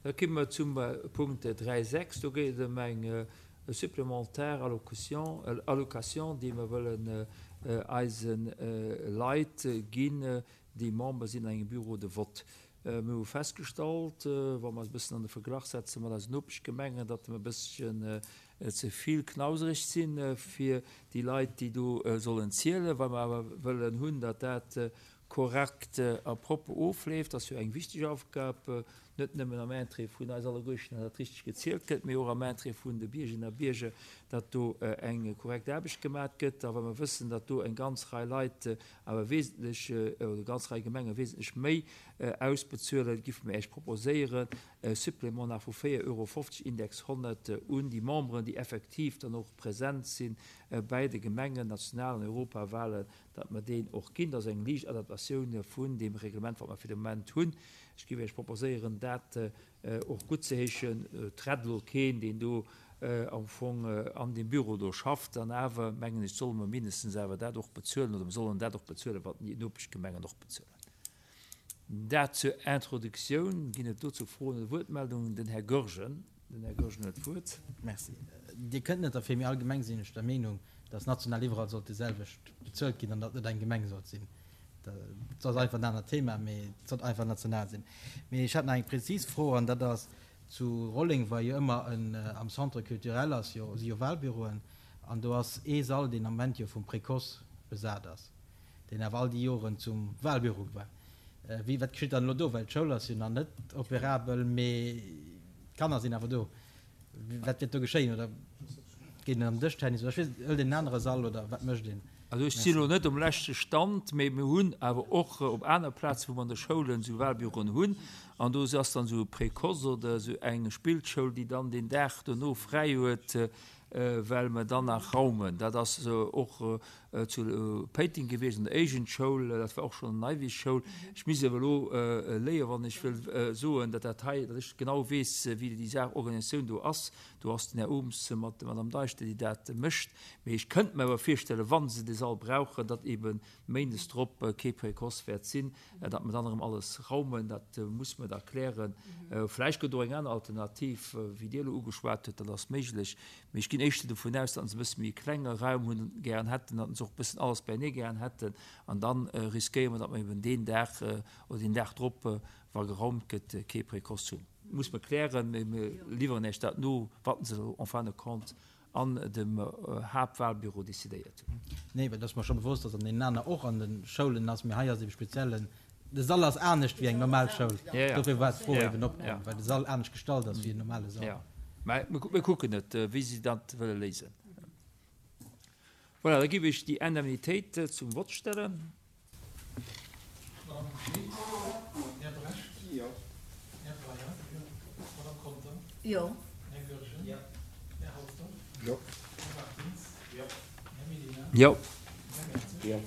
Da komme mer zum Punkt 3.6. Do geet et ëm eng supplémentaire allocution, allocation, déi mer wëllen eise Leit ginn, déi Member sinn an engem Bureau de vote. Mir hu festgestallt, wa mer eis e bëssen an de Verglach setze mat eisen Nopeschgemengen, datt mer e bësschen ze vill knausereg sinn fir déi Leit, déi do sollen zielen. Wa mer awer wëllen hunn, datt dat korrekt a propper ofleeft, ass jo eng wichteg Aufgab, net nëmmen am Interêt vun eis alleguerten, datt dat richteg gezielt gëtt, mee och am Interêt vun de Biergerinnen a Bierger, datt do eng korrekt Aarbecht gemat gëtt. A wa mer wëssen, datt do eng ganz Rei Leit awer wesentlech, oder ganz Rei Gemenge wesentlech méi ausbezuelen, giffe mer Iech proposéieren, e Supplément nach vu 4,50 Euro, Index 100, un déi Memberen, déi effektiv dann och present si bäi de Gemengen-, National an Europawahlen, datt mer deen och ginn. Dat ass eng liicht Adaptatioun vun deem Reglement, wat mer fir de Moment hunn. Ech géif Iech proposéieren, dat och guttzeheeschen. Et rett elo keen, deen do am Fong an deem Büro do schafft. An awer, mengen ech, solle mer mindestens awer dat och bezuelen, oder mer sollen dat och bezuelen, wat déi Nopeschgemengen och bezuelen. Dat zur Introduktioun. Ginn et dozou Froen oder Wuertmeldungen? Den Här Goergen. Den Här Goergen huet d'Wuert. Merci. Dir kënnt net derfir, mee allgemeng sinn ech der Meenung, dass national iwwerall sollt déiselwecht bezuelt ginn an datt net eng Gemeng sollt sinn. Dat ass einfach en anert Thema, mee et sollt einfach national sinn. Mee ech hat nach eng prezis Fro an dat ass, zu Rolleng war jo ëmmer en, am Centre culturel ass jo, si jo Wahlbüroen an do ass ee Sall, deen am Moment jo vum Précoce besat ass. deen awer all déi Joren zum Wahlbüro war. Wéi, wat geschitt dann elo do? Well d'Schoul ass jo nach net operabel, mee d'Kanner sinn awer do. Wat wäert do geschéien? Oder geet een am Dëschtennis oder ech weess net, hëlt een en anere Sall oder wat mécht een? Also ech sinn elo net um leschte Stand, mee mir hunn awer och op aner Plazen, wou mer an de Schoulen esou Wahlbüroen hunn, an do ass dann esou e Précoce oder esou eng Spillschoul, déi dann deen Dag dono fräi huet, well mer dann nach raumen. Dat ass och zu Péiteng gewiescht an der Éigendschoul, dat war och schonn an der Neiwiss-Schoul. Ech misst awer elo léien, wann ech wëll soen, datt dat hei, datt ech genau weess, wéi déi Saach Organisatioun do ass. Do ass den Här Ooms mat der Madame Deischter, déi dat mécht. Mee ech kënnt mer awer virstellen, wa se de Sall brauchen, datt eebe méindes drop kee Précoce wäert sinn, datt mer dann erëm alles raumen. Dat muss mer da klären. Vläicht gëtt och eng aner Alternativ, wéi Dir elo ugeschwat hutt, dat ass méiglech. Mee ech ginn éischter dovun aus, datt se e bësse méi e klenge Raum hunn, gären hätten, datt se och e bëssen alles beienee gären hätten. An da riskéiere mer, datt mer eben deen Dag oder deen Dag drop, wa geraumt gëtt, kee Précoce hunn. Muss mer klären, mee mir liwweren Iech dat no, wat se en fin de compte an dem Haaptwahlbüro decidéiert hunn. Nee, well et ass mer scho bewosst, datt an deenen aner och an de Schoulen ass, mee hei ass ebe speziell en, de Sall ass anescht wéi eng normal Schoul. Dofir war d'Fro eben opkomm, well de Sall anescht gestalt ass wéi en normale Sall. Jo, mä mir kucken et, wéi si dat wëlle léisen. Voilà, da géif ech déi Indemnitéit zum Vott stellen. Madame Schmit, Här Brecht? Jo. Här Breyer? Jo. Madame Conter? Jo. Här Goergen? Jo. Här Halsdorf? Jo. Här Martins? Jo. Här Mellina? Jo. Här Mertzig? Jo.